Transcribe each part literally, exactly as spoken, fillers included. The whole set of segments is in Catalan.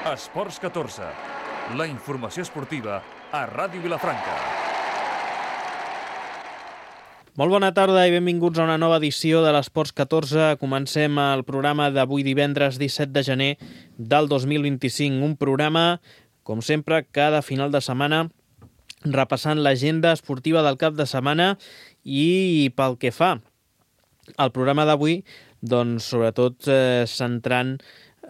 Esports catorze, la informació esportiva a Ràdio Vilafranca. Molt bona tarda i benvinguts a una nova edició de l'Esports catorze. Comencem el programa d'avui divendres disset de gener del dos mil vint-i-cinc. Un programa, com sempre, cada final de setmana repassant l'agenda esportiva del cap de setmana i pel que fa al programa d'avui, doncs sobretot eh, centrant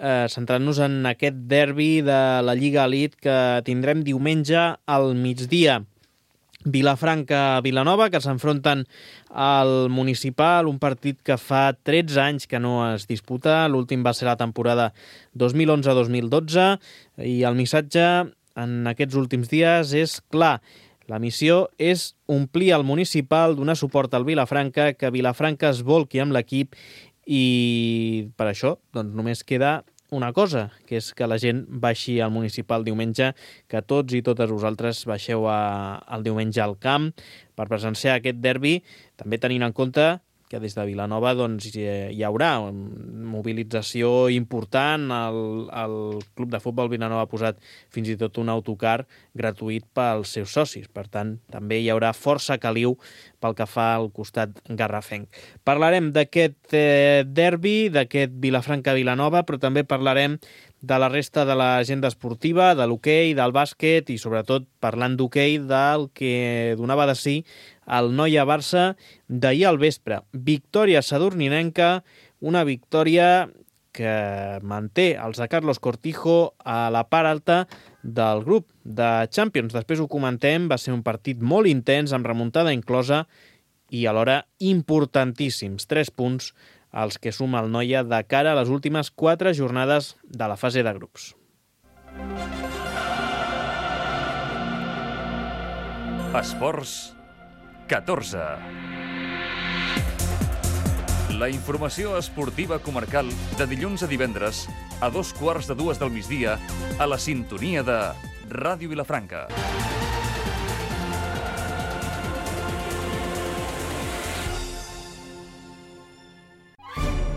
Eh, centrant-nos en aquest derbi de la Lliga Elite que tindrem diumenge al migdia. Vilafranca-Vilanova, que s'enfronten al Municipal, un partit que fa tretze anys que no es disputa. L'últim va ser la temporada dos mil onze dos mil dotze i el missatge en aquests últims dies és clar. La missió és omplir el Municipal, donar suport al Vilafranca, que Vilafranca es volqui amb l'equip. I per això doncs, només queda una cosa, que és que la gent baixi al Municipal diumenge, que tots i totes vosaltres baixeu a, al diumenge al camp per presenciar aquest derbi, també tenint en compte que des de Vilanova doncs, hi haurà mobilització important. El, el Club de Futbol Vilanova ha posat fins i tot un autocar gratuït pels seus socis. Per tant, també hi haurà força caliu pel que fa al costat garrafenc. Parlarem d'aquest eh, derbi, d'aquest Vilafranca-Vilanova, però també parlarem de la resta de l'agenda esportiva, de l'hoquei, del bàsquet i, sobretot, parlant d'hoquei, del que donava de si el Noia-Barça d'ahir al vespre. Victòria sadurninenca, una victòria que manté els de Carlos Cortijo a la part alta del grup de Champions. Després ho comentem, va ser un partit molt intens, amb remuntada inclosa i alhora importantíssims. Tres punts els que suma el Noia de cara a les últimes quatre jornades de la fase de grups. Esports catorze. La informació esportiva comarcal de dilluns a divendres a dos quarts de dues del migdia a la sintonia de Ràdio Vilafranca.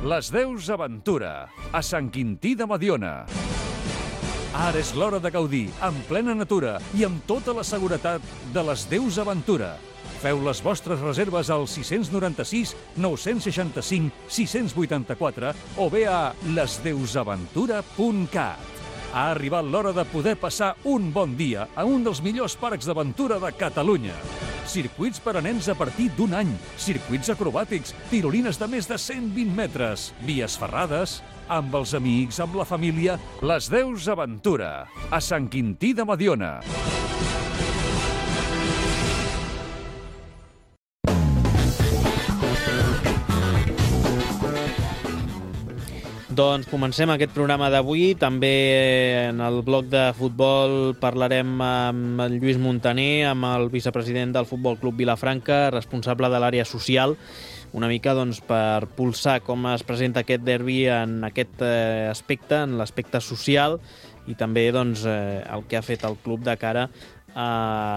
Les Deus Aventura, a Sant Quintí de Mediona. Ara és l'hora de gaudir, en plena natura i amb tota la seguretat de les Deus Aventura. Feu les vostres reserves al sis nou sis, nou seixanta cinc, sis vuitanta quatre o bé a les deus aventura punt cat. Ha arribat l'hora de poder passar un bon dia a un dels millors parcs d'aventura de Catalunya. Circuits per a nens a partir d'un any, circuits acrobàtics, tirolines de més de cent vint metres, vies ferrades, amb els amics, amb la família. Les Deus Aventura, a Sant Quintí de Mediona. Doncs comencem aquest programa d'avui. També en el bloc de futbol parlarem amb el Lluís Montaner, amb el vicepresident del Futbol Club Vilafranca, responsable de l'àrea social, una mica doncs, per pulsar com es presenta aquest derbi en aquest eh, aspecte, en l'aspecte social, i també doncs, eh, el que ha fet el club de cara a,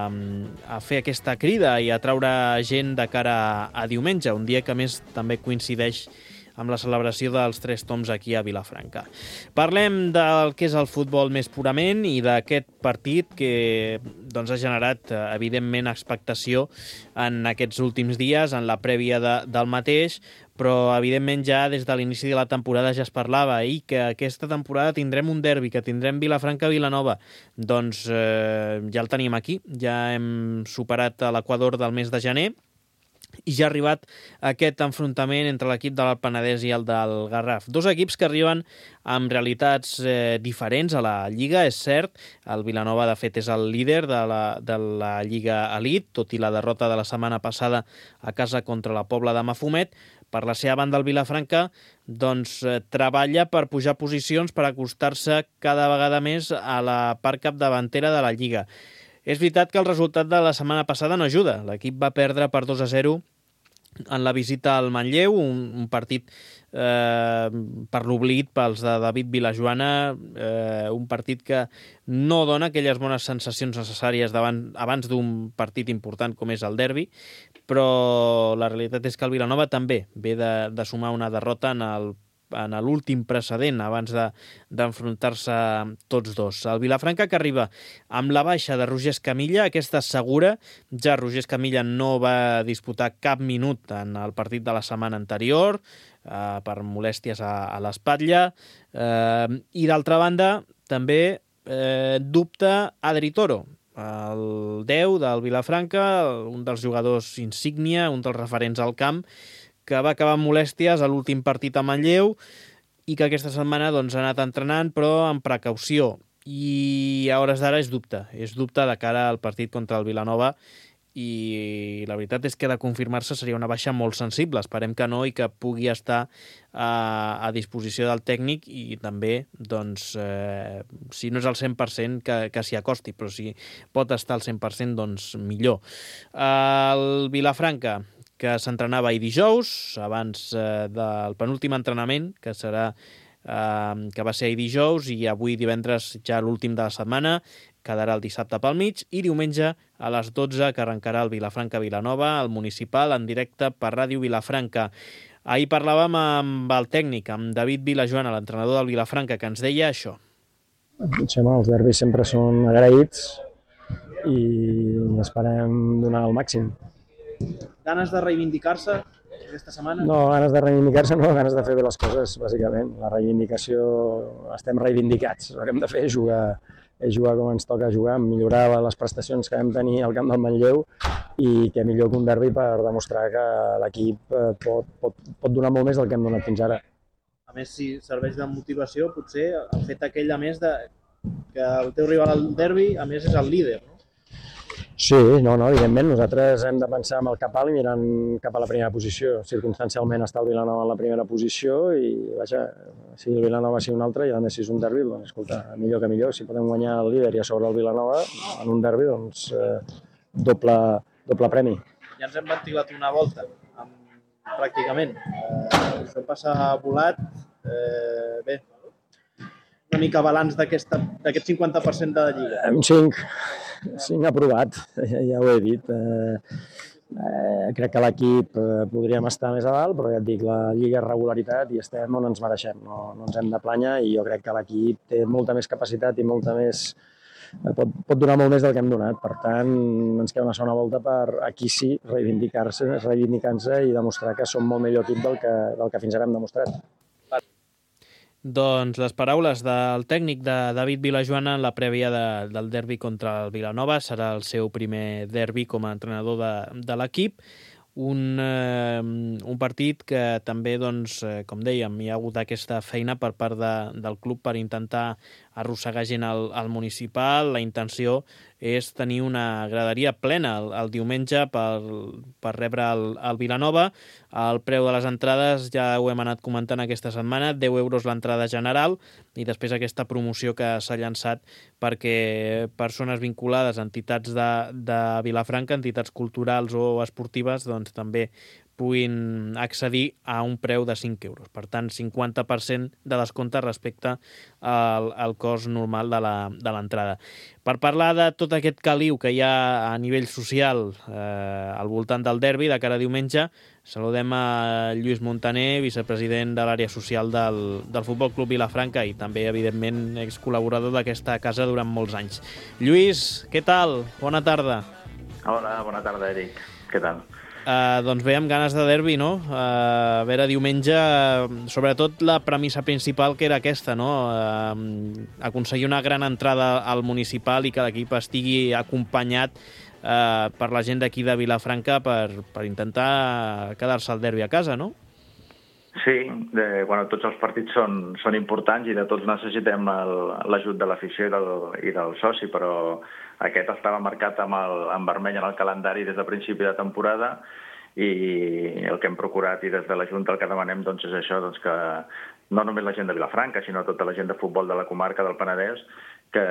a fer aquesta crida i a traure gent de cara a, a diumenge, un dia que més també coincideix amb la celebració dels Tres Tombs aquí a Vilafranca. Parlem del que és el futbol més purament i d'aquest partit que doncs, ha generat, evidentment, expectació en aquests últims dies, en la prèvia de, del mateix, però, evidentment, ja des de l'inici de la temporada ja es parlava i que aquesta temporada tindrem un derbi, que tindrem Vilafranca-Vilanova. Doncs eh, ja el tenim aquí, ja hem superat l'equador del mes de gener, i ja ha arribat aquest enfrontament entre l'equip de l'Alt Penedès i el del Garraf. Dos equips que arriben amb realitats eh, diferents a la Lliga, és cert. El Vilanova, de fet, és el líder de la, de la Lliga Elite, tot i la derrota de la setmana passada a casa contra la Pobla de Mafumet. Per la seva banda, el Vilafranca doncs, eh, treballa per pujar posicions, per acostar-se cada vegada més a la part capdavantera de la Lliga. És veritat que el resultat de la setmana passada no ajuda. L'equip va perdre per dos a zero en la visita al Manlleu, un, un partit eh, per l'oblit pels de David Vilajoana, eh, un partit que no dona aquelles bones sensacions necessàries davant, abans d'un partit important com és el derbi, però la realitat és que el Vilanova també ve de, de sumar una derrota en el en l'últim precedent abans d'enfrontar-se tots dos. El Vilafranca que arriba amb la baixa de Roger Escamilla, aquesta segura, ja Roger Escamilla no va disputar cap minut en el partit de la setmana anterior, eh, per molèsties a, a l'espatlla, eh, i d'altra banda també eh, dubta Adri Toro, el deu del Vilafranca, un dels jugadors insígnia, un dels referents al camp, que va acabar amb molèsties a l'últim partit a Manlleu i que aquesta setmana doncs, ha anat entrenant, però amb precaució. I a hores d'ara és dubte. És dubte de cara al partit contra el Vilanova i la veritat és que de confirmar-se seria una baixa molt sensible. Esperem que no i que pugui estar a, a disposició del tècnic i també, doncs, eh, si no és al cent per cent, que, que s'hi acosti, però si pot estar al cent per cent, doncs millor. El Vilafranca, que s'entrenava ahir dijous, abans eh, del penúltim entrenament, que serà eh, que va ser ahir dijous, i avui divendres ja l'últim de la setmana, quedarà el dissabte pel mig, i diumenge a les dotze que arrencarà el Vilafranca-Vilanova, el municipal, en directe per Ràdio Vilafranca. Ahir parlàvem amb el tècnic, amb David Vilajoana, l'entrenador del Vilafranca, que ens deia això. Xema, els derbis sempre són agraïts i esperem donar el màxim. Ganes de reivindicar-se aquesta setmana? No, ganes de reivindicar-se no, ganes de fer bé les coses, bàsicament. La reivindicació, estem reivindicats. El que hem de fer és jugar, és jugar com ens toca jugar, millorar les prestacions que vam tenir al camp del Manlleu i que millor que un derbi per demostrar que l'equip pot, pot, pot donar molt més del que hem donat fins ara. A més, si serveix de motivació, potser el fet aquell, a més, de que el teu rival al derbi, a més, és el líder, no? Sí, no, no, evidentment, nosaltres hem de pensar amb el cap alt i mirant cap a la primera posició. Circumstancialment està el Vilanova en la primera posició i, vaja, si el Vilanova sigui un altre i a més si és un derbi, doncs, escolta, millor que millor. Si podem guanyar el líder i a sobre el Vilanova en un derbi, doncs, eh, doble, doble premi. Ja ens hem ventilat una volta, amb, pràcticament. Eh, això passa volat. Eh, bé, una mica balanç d'aquest cinquanta per cent de la Lliga. Un cinc. cinc aprovat, ja, ja ho he dit. Eh, eh, crec que l'equip eh, podríem estar més a dalt, però ja et dic, la Lliga és regularitat i estem on ens mereixem, no, no ens hem de planyar i jo crec que l'equip té molta més capacitat i molta més, eh, pot, pot donar molt més del que hem donat. Per tant, ens queda una segona volta per aquí sí reivindicar-se reivindicant-se i demostrar que som molt millor equip del que, del que fins ara hem demostrat. Doncs les paraules del tècnic de David Vilajoana en la prèvia de, del derbi contra el Vilanova. Serà el seu primer derbi com a entrenador de, de l'equip. Un, eh, un partit que també, doncs, eh, com dèiem, hi ha hagut aquesta feina per part de, del club per intentar arrossegar gent al, al municipal. La intenció és tenir una graderia plena el, el diumenge per, per rebre el, el Vilanova. El preu de les entrades ja ho hem anat comentant aquesta setmana, deu euros l'entrada general i després aquesta promoció que s'ha llançat perquè persones vinculades a entitats de, de Vilafranca, entitats culturals o esportives, doncs també puguin accedir a un preu de cinc euros. Per tant, cinquanta per cent de descompte respecte al, al cost normal de l'entrada. Per parlar de tot aquest caliu que hi ha a nivell social eh, al voltant del derbi de cara a diumenge, saludem a Lluís Montaner, vicepresident de l'àrea social del, del Futbol Club Vilafranca i també, evidentment, excol·laborador d'aquesta casa durant molts anys. Lluís, què tal? Bona tarda. Hola, bona tarda, Eric. Què tal? Uh, doncs bé, amb ganes de derbi, no? Uh, a veure, diumenge, uh, sobretot la premissa principal que era aquesta, no? Uh, aconseguir una gran entrada al municipal i que l'equip estigui acompanyat uh, per la gent d'aquí de Vilafranca per, per intentar quedar-se al derbi a casa, no? Sí, de, bueno, tots els partits són, són importants i de tots necessitem l'ajut de l'afició i, del, i del soci, però aquest estava marcat amb, el, amb vermell en el calendari des de principi de temporada i el que hem procurat i des de la Junta el que demanem doncs, és això, doncs, que no només la gent de Vilafranca, sinó tota la gent de futbol de la comarca del Penedès que,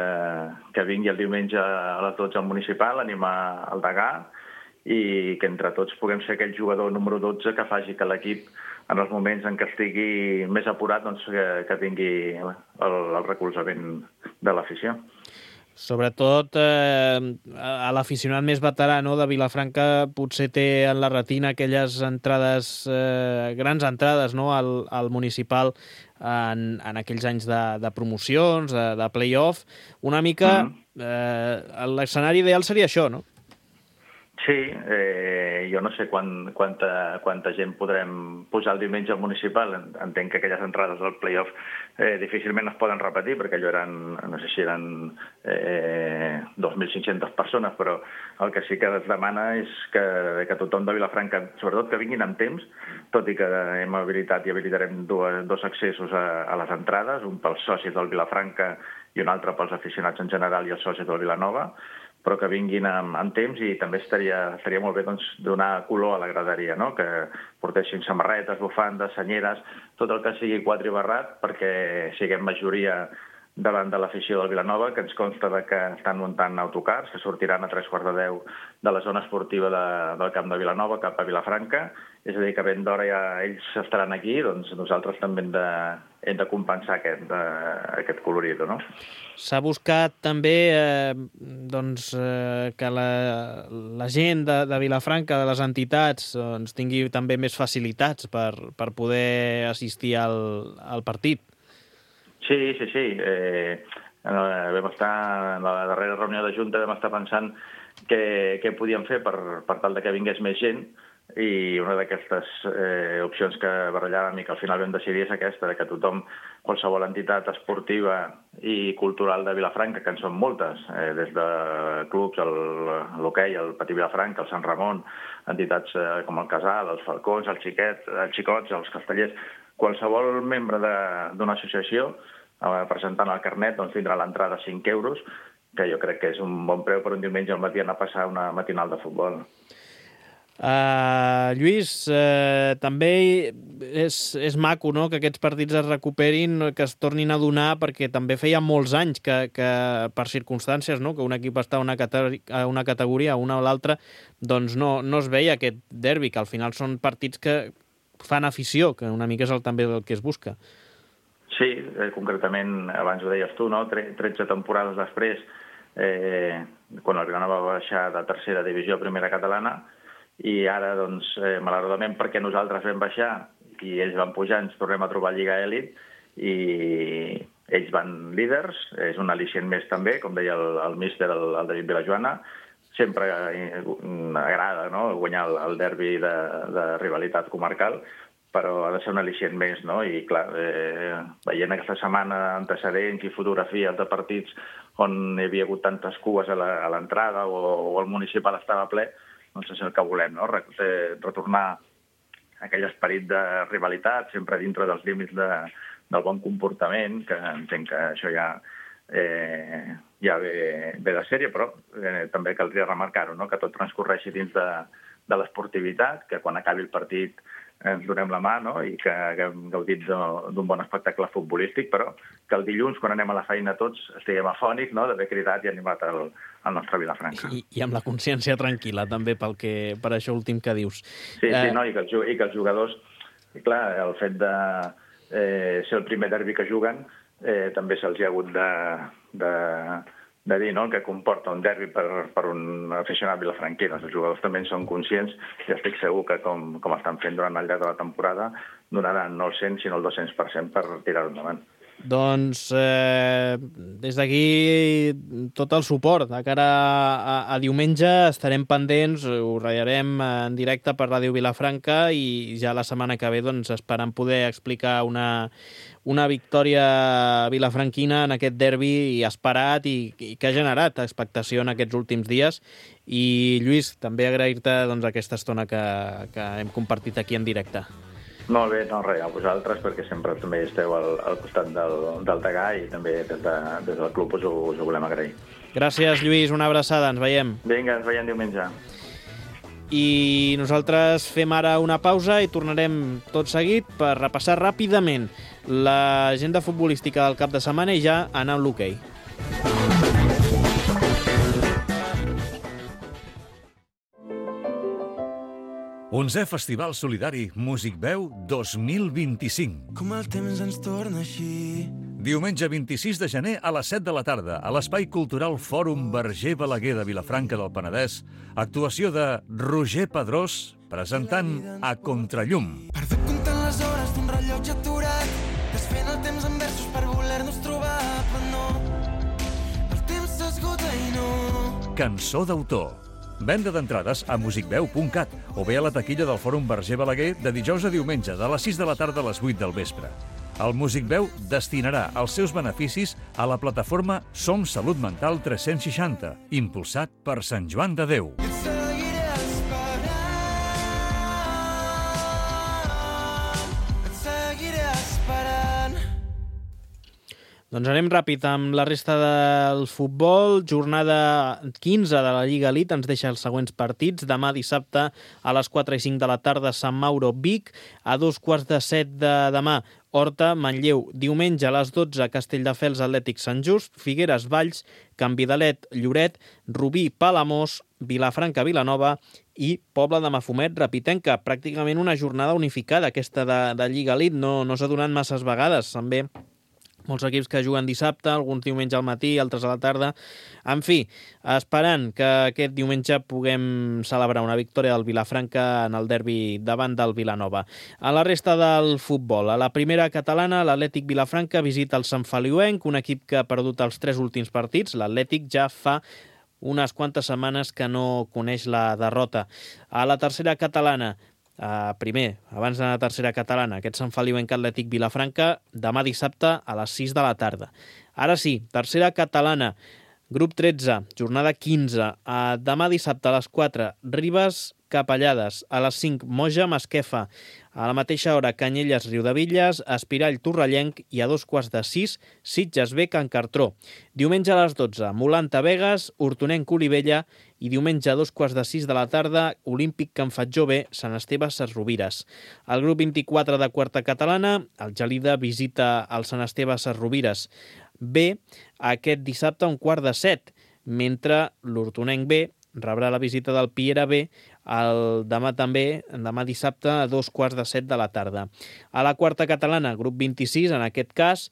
que vingui el diumenge a les dotze al municipal, animar el Degà i que entre tots puguem ser aquell jugador número dotze que faci que l'equip en els moments en què estigui més apurat doncs, que, que tingui el, el recolzament de l'afició. Sobretot eh, a l'aficionat més veterà, no, de Vilafranca potser té en la retina aquelles entrades, eh, grans entrades, no, al, al municipal en, en aquells anys de, de promocions, de, de play-off. Una mica mm. eh, l'escenari ideal seria això, no? Sí, eh, jo no sé quan, quanta, quanta gent podrem posar el diumenge al municipal. Entenc que aquelles entrades al play-off eh, difícilment es poden repetir, perquè allò eren, no sé si eren eh, dos mil cinc-centes persones, però el que sí que es demana és que, que tothom de Vilafranca, sobretot que vinguin amb temps, tot i que hem habilitat i habilitarem dos, dos accessos a, a les entrades, un pels socis del Vilafranca i un altre pels aficionats en general i els socis del Vilanova, però que vinguin amb, amb temps, i també estaria, estaria molt bé doncs, donar color a la graderia, no? Que portessin samarretes, bufandes, senyeres, tot el que sigui quadribarrat, perquè siguem majoria davant de l'afició del Vilanova, que ens consta de que estan muntant autocars, que sortiran a tres quarts de deu de la zona esportiva de, del camp de Vilanova cap a Vilafranca. És a dir, que ben d'hora ja ells estaran aquí, doncs nosaltres també hem de, hem de compensar aquest, de, aquest colorit, no? S'ha buscat també eh, doncs, eh, que la, la gent de, de Vilafranca, de les entitats, doncs, tingui també més facilitats per, per poder assistir al, al partit. Sí, sí, sí. Eh, vam estar, en la darrera reunió de Junta vam estar pensant què, què podíem fer per, per tal de que vingués més gent, i una d'aquestes eh, opcions que barallàvem i que al final vam decidir és aquesta, que tothom, qualsevol entitat esportiva i cultural de Vilafranca, que en són moltes, eh, des de clubs, l'hoquei, el Patí Vilafranca, el Sant Ramon, entitats eh, com el Casal, els Falcons, els Xiquets, els Xicots, els Castellers, qualsevol membre d'una associació eh, presentant el carnet doncs, tindrà l'entrada a cinc euros, que jo crec que és un bon preu per un diumenge al matí anar a passar una matinal de futbol. Uh, Lluís, uh, també és, és maco, no?, que aquests partits es recuperin, que es tornin a donar, perquè també feia molts anys que, que per circumstàncies, no?, que un equip està a una, categori a una categoria, a una o l'altra, doncs no, no es veia aquest derbi, que al final són partits que fan afició, que una mica és el, també el que es busca. Sí, eh, concretament, abans ho deies tu, no?, tretze temporades després, eh, quan el Vilanova va baixar de tercera divisió a primera catalana, i ara, doncs, eh, malauradament, perquè nosaltres vam baixar i ells van pujar, ens tornem a trobar a Lliga Elit, i ells van líders, és un al·licient més també, com deia el, el míster, el, el David Vilajoana. Sempre agrada, no?, guanyar el, el derbi de, de rivalitat comarcal, però ha de ser un al·licient més, no? I, clar, eh, veient aquesta setmana antecedents i fotografies de partits on hi havia hagut tantes cues a l'entrada o, o el municipal estava ple, doncs és el que volem, no?, retornar aquell esperit de rivalitat, sempre dintre dels límits de, del bon comportament, que entenc que això ja, eh, ja ve, ve de sèrie, però eh, també caldria remarcar-ho, no?, que tot transcorreixi dins de, de l'esportivitat, que quan acabi el partit ens donem la mà, no?, i que haguem gaudit d'un bon espectacle futbolístic, però que el dilluns, quan anem a la feina tots, estiguem afònics, no?, d'haver cridat i animat el, el nostre Vilafranca. I, I amb la consciència tranquil·la, també, pel que, per això últim que dius. Sí, eh... sí, no? I que, els, i que els jugadors, i clar, el fet de eh, ser el primer derbi que juguen, eh, també se'ls ha hagut de, de, de dir, no?, que comporta un derbi per, per un aficionat vilafranquí. Els jugadors també en són conscients i estic segur que, com, com estan fent durant el llarg de la temporada, donaran no el cent, sinó el dos-cents per cent per tirar-ho endavant. Doncs eh, des d'aquí tot el suport. De cara a, a diumenge estarem pendents, ho ratllarem en directe per Ràdio Vilafranca, i ja la setmana que ve doncs, esperant poder explicar una, una victòria vilafranquina en aquest derbi i esperat, i, i que ha generat expectació en aquests últims dies. I Lluís, també agrair-te doncs, aquesta estona que, que hem compartit aquí en directe. Molt bé, no, res, a vosaltres, perquè sempre també esteu al, al costat del, del Degà, i també des, de, des del club us ho, us ho volem agrair. Gràcies, Lluís, una abraçada, ens veiem. Vinga, ens veiem diumenge. I nosaltres fem ara una pausa i tornarem tot seguit per repassar ràpidament l'agenda futbolística del cap de setmana i ja anar amb l'hoquei. onzè Festival Solidari Músic Veu dos mil vint-i-cinc. Com el temps ens torna així, Diumenge vint-i-sis de gener a les set de la tarda, a l'Espai Cultural Fòrum Verger Balaguer de Vilafranca del Penedès, actuació de Roger Pedrós, presentant A Contrallum. Perdut comptant les hores d'un rellotge aturat, desfent el temps en versos per voler-nos trobar, però no, el temps s'esgota i no. Cançó d'autor. Venda d'entrades a musicveu punt cat o bé a la taquilla del Fòrum Verger Balaguer de dijous a diumenge, de les sis de la tarda a les vuit del vespre. El Musicveu destinarà els seus beneficis a la plataforma Som Salut Mental tres-cents seixanta, impulsat per Sant Joan de Déu. Et seguiré esperant, et seguiré esperant. Doncs anem ràpid amb la resta del futbol. Jornada quinze de la Lliga Elite ens deixa els següents partits. Demà dissabte a les quatre i cinc de la tarda Sant Mauro Vic. A dos quarts de set de demà Horta Manlleu. Diumenge a les dotze Castelldefels Atlètic Sant Just. Figueres Valls, Canvidalet Lloret, Rubí Palamós, Vilafranca Vilanova i Pobla de Mafumet Rapitenca. Pràcticament una jornada unificada aquesta de, de Lliga Elite. No, no s'ha donat masses vegades. També molts equips que juguen dissabte, alguns diumenge al matí, altres a la tarda. En fi, esperant que aquest diumenge puguem celebrar una victòria del Vilafranca en el derbi davant del Vilanova. A la resta del futbol, a la primera catalana, l'Atlètic Vilafranca visita el Sant Feliuenc, un equip que ha perdut els tres últims partits. L'Atlètic ja fa unes quantes setmanes que no coneix la derrota. A la tercera catalana, Uh, primer, abans de la tercera catalana, aquest Sant Feliuenc Atlètic Vilafranca, demà dissabte a les sis de la tarda. Ara sí, tercera catalana, grup tretze, jornada quinze, uh, demà dissabte a les quatre, Ribes Capellades, a les cinc, Moja Masquefa, a la mateixa hora, Canyelles Riudevilles, Espirall Torrellenc i a dos quarts de sis, Sitges B Can Cartró. Diumenge a les dotze, Molanta Begues, Hortonenc Olivella i diumenge a dos quarts de sis de la tarda, Olímpic Can Fatjó B, Sant Esteve Ses Rovires. El grup vint-i-quatre de quarta catalana, el Gelida visita el Sant Esteve Ses Rovires B aquest dissabte a un quart de set, mentre l'Hortonenc B rebrà la visita del Piera B el demà també, demà dissabte a dos quarts de set de la tarda. A la quarta catalana, grup vint-i-sis, en aquest cas,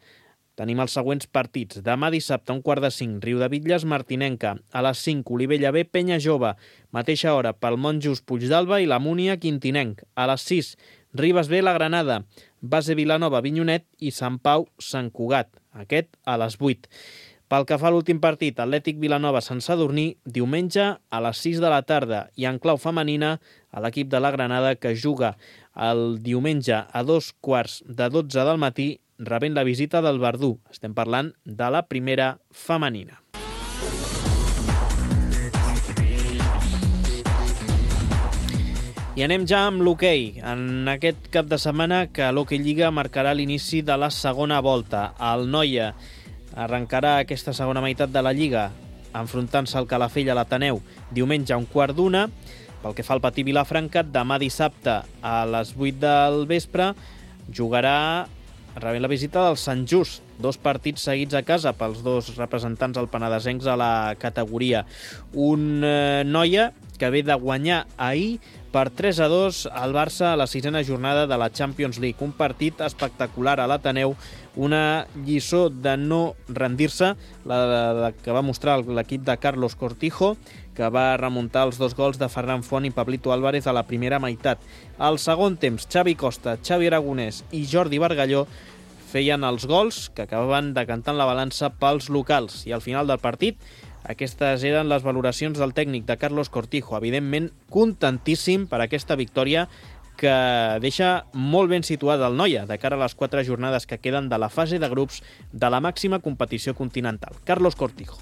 tenim els següents partits. Demà dissabte, a un quart de cinc, Riudebitlles Martinenca. A les cinc, Olivella B, Penya Jove. Mateixa hora, pel Monjos Puigdalba i la Múnia Quintinenc. A les sis, Ribes B, la Granada. Base Vilanova, Vinyonet i Sant Pau, Sant Cugat. Aquest a les vuit. Pel que fa a l'últim partit, Atlètic Vilanova Sant Sadurní, diumenge a les sis de la tarda i en clau femenina a l'equip de la Granada que juga el diumenge a dos quarts de dotze del matí rebent la visita del Verdú. Estem parlant de la primera femenina. I anem ja amb l'hoquei. En aquest cap de setmana que l'Hoquei Lliga marcarà l'inici de la segona volta. El Noia arrencarà aquesta segona meitat de la Lliga enfrontant-se al Calafell a l'Ateneu diumenge a un quart d'una. Pel que fa al Patí Vilafranca, demà dissabte a les vuit del vespre jugarà rebent la visita del Sant Just. Dos partits seguits a casa pels dos representants alpenadesencs a la categoria. Un eh, Noia que ve de guanyar ahir per tres a dos al Barça a la sisena jornada de la Champions League. Un partit espectacular a l'Ateneu, una lliçó de no rendir-se, la, la que va mostrar l'equip de Carlos Cortijo, que va remuntar els dos gols de Ferran Font i Pablito Álvarez a la primera meitat. Al segon temps, Xavi Costa, Xavi Aragonès i Jordi Bargalló feien els gols que acabaven decantant la balança pels locals. I al final del partit, aquestes eren les valoracions del tècnic de Carlos Cortijo. Evidentment, contentíssim per aquesta victòria que deixa molt ben situada el Noia de cara a les quatre jornades que queden de la fase de grups de la màxima competició continental. Carlos Cortijo.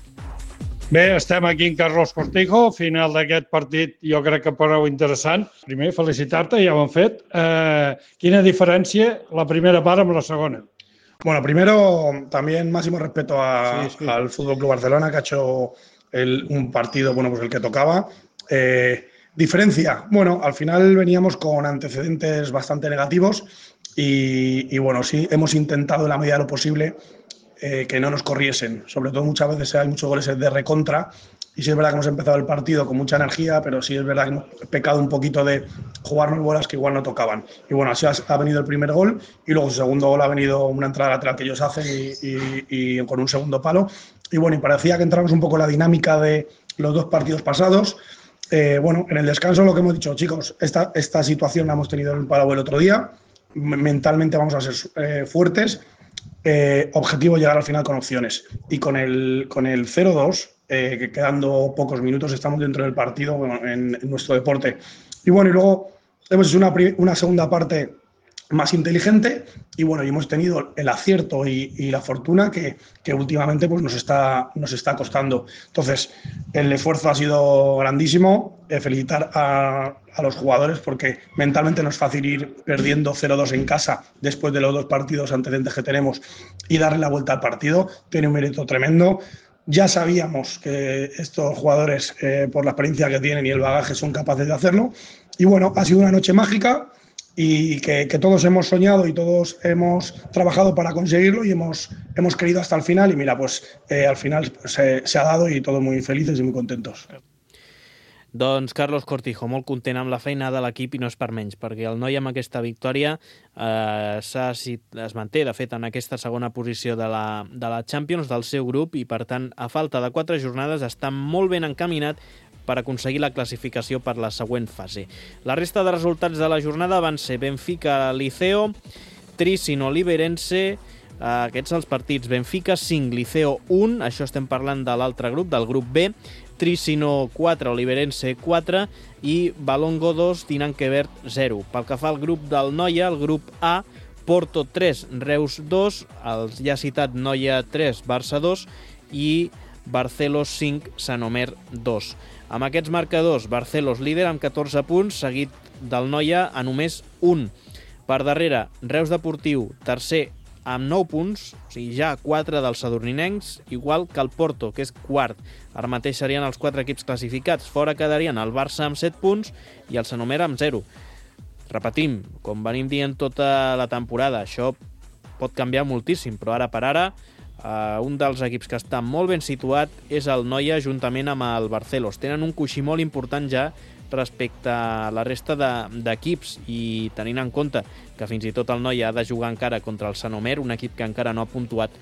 Bé, estem aquí en Carlos Cortijo, final d'aquest partit jo crec que prou interessant. Primer, felicitar-te, ja ho hem fet. Eh, quina diferència la primera part amb la segona? Bueno, primero, también máximo respeto a, sí, sí. al Fútbol Club Barcelona, que ha hecho el, un partido, bueno, pues el que tocaba. Eh, diferencia, bueno, al final veníamos con antecedentes bastante negativos y, y bueno, sí, hemos intentado en la medida de lo posible eh, que no nos corriesen. Sobre todo muchas veces hay muchos goles de recontra y sí es verdad que hemos empezado el partido con mucha energía, pero sí es verdad que hemos pecado un poquito de jugarnos bolas que igual no tocaban. Y bueno, así ha venido el primer gol y luego su segundo gol ha venido una entrada lateral que ellos hacen y, y, y con un segundo palo. Y bueno, y parecía que entramos un poco en la dinámica de los dos partidos pasados. Eh, bueno, en el descanso lo que hemos dicho, chicos, esta, esta situación la hemos tenido en el Palau el otro día, mentalmente vamos a ser eh, fuertes, eh, objetivo llegar al final con opciones. Y con el, con el cero dos, eh, que quedando pocos minutos, estamos dentro del partido, bueno, en, en nuestro deporte. Y bueno, y luego hemos hecho una, una segunda parte más inteligente y bueno, y hemos tenido el acierto y, y la fortuna que, que últimamente pues nos está, nos está costando. Entonces, el esfuerzo ha sido grandísimo. Eh, felicitar a, a los jugadores porque mentalmente no es fácil ir perdiendo cero dos en casa después de los dos partidos antecedentes que tenemos y darle la vuelta al partido. Tiene un mérito tremendo. Ya sabíamos que estos jugadores, eh, por la experiencia que tienen y el bagaje, son capaces de hacerlo. Y bueno, ha sido una noche mágica y que, que todos hemos soñado y todos hemos trabajado para conseguirlo y hemos, hemos querido hasta el final. Y mira, pues eh, al final pues, eh, se ha dado y todos muy felices y muy contentos. Doncs Carlos Cortijo, molt content amb la feina de l'equip i no és per menys, perquè el noi amb aquesta victòria eh, es manté, de fet, en aquesta segona posició de la, de la Champions del seu grup i, per tant, a falta de quatre jornades està molt ben encaminat per aconseguir la classificació per la següent fase. La resta de resultats de la jornada van ser Benfica-Liceo, Tricino-Liberense, eh, aquests els partits Benfica cinc, Liceo un, això estem parlant de l'altre grup, del grup B, Tricino quatre, Oliverense quatre i Balongo dos, Dinanquebert zero. Pel que fa al grup del Noia, el grup A, Porto tres, Reus dos, els ja citat Noia tres, Barça dos i Barcelos cinc, Sanomer dos. Amb aquests marcadors, Barcelos líder amb catorze punts, seguit del Noia a només un. Per darrere, Reus Deportiu, tercer, amb nou punts, o sigui, ja quatre dels sadurninencs, igual que el Porto, que és quart. Ara mateix serien els quatre equips classificats. Fora quedarien el Barça amb set punts i el Sanomer amb zero. Repetim, com venim dient tota la temporada, això pot canviar moltíssim, però ara per ara Uh, un dels equips que està molt ben situat és el Noia juntament amb el Barcelos. Tenen un coixí molt important ja respecte a la resta d'equips de, i tenint en compte que fins i tot el Noia ha de jugar encara contra el Sanomer, un equip que encara no ha puntuat,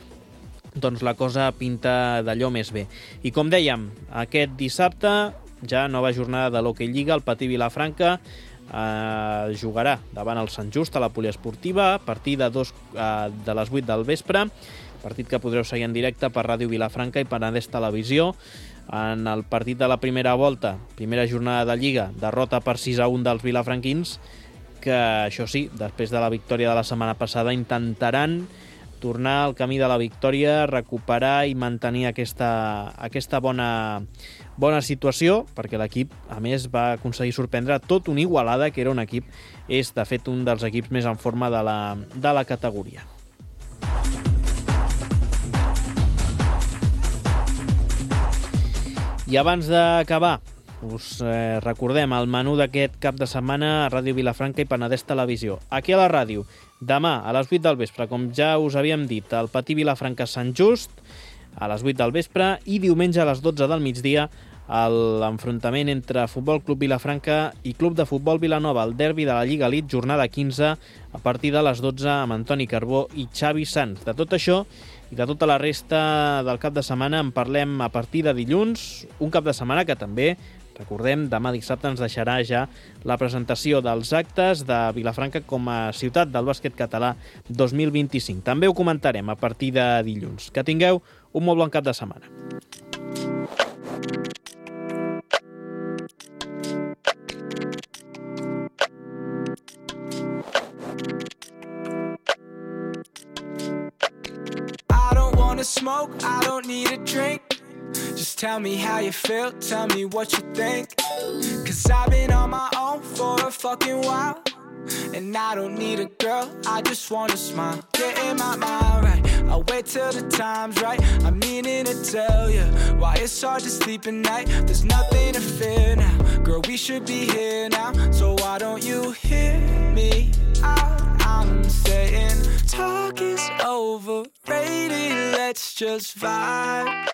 doncs la cosa pinta d'allò més bé. I com dèiem, aquest dissabte, ja nova jornada de l'Hockey Lliga, el Patí Vilafranca eh, jugarà davant el Sant Just a la poliesportiva a partir de, dos, eh, de les vuit del vespre, partit que podreu seguir en directe per Ràdio Vilafranca i Penedès Televisió. En el partit de la primera volta, primera jornada de Lliga, derrota per sis a un dels vilafranquins, que això sí, després de la victòria de la setmana passada, intentaran tornar al camí de la victòria, recuperar i mantenir aquesta, aquesta bona, bona situació, perquè l'equip, a més, va aconseguir sorprendre tot un Igualada, que era un equip, és de fet un dels equips més en forma de la, de la categoria. I abans d'acabar, us eh, recordem el menú d'aquest cap de setmana a Ràdio Vilafranca i Penedès Televisió. Aquí a la ràdio, demà a les vuit del vespre, com ja us havíem dit, el Patí Vilafranca Sant Just, a les vuit del vespre, i diumenge a les dotze del migdia, l'enfrontament entre Futbol Club Vilafranca i Club de Futbol Vilanova, el derbi de la Lliga Elite, jornada quinze, a partir de les dotze, amb Antoni Carbó i Xavi Sanz. De tot això i de tota la resta del cap de setmana en parlem a partir de dilluns, un cap de setmana que també, recordem, demà dissabte ens deixarà ja la presentació dels actes de Vilafranca com a ciutat del bàsquet català dos mil vint-i-cinc. També ho comentarem a partir de dilluns. Que tingueu un molt bon cap de setmana. Smoke, I don't need a drink. Just tell me how you feel, tell me what you think. Cause I've been on my own for a fucking while, and I don't need a girl, I just wanna smile. Getting my mind right, I'll wait till the time's right. I'm meaning to tell you why it's hard to sleep at night. There's nothing to fear now, girl, we should be here now. So why don't you hear me out? I'm saying talk is overrated, let's just vibe.